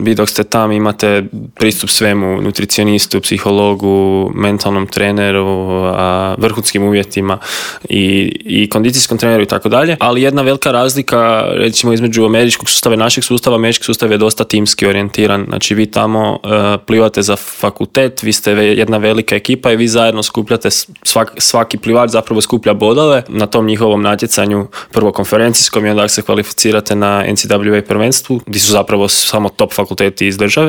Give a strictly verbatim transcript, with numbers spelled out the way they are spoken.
Vi dok ste tam imate pristup svemu, nutricionistu, psihologu, mentalnom treneru, a, vrhunskim uvjetima i, i kondicijskom treneru i tako dalje. Ali jedna velika razlika recimo između američkog sustava i našeg sustava, američki sustav je dosta timski orijentiran. Znači vi tamo uh, plivate za fakultet, vi ste jedna velika ekipa i vi zajedno skupljate, svak, svaki plivač zapravo skuplja bodove na tom njihovom natjecanju, prvo konferencijskom i onda se kvalificirate na N C A A prvenstvu, gdje su zapravo samo top fakulteti iz države.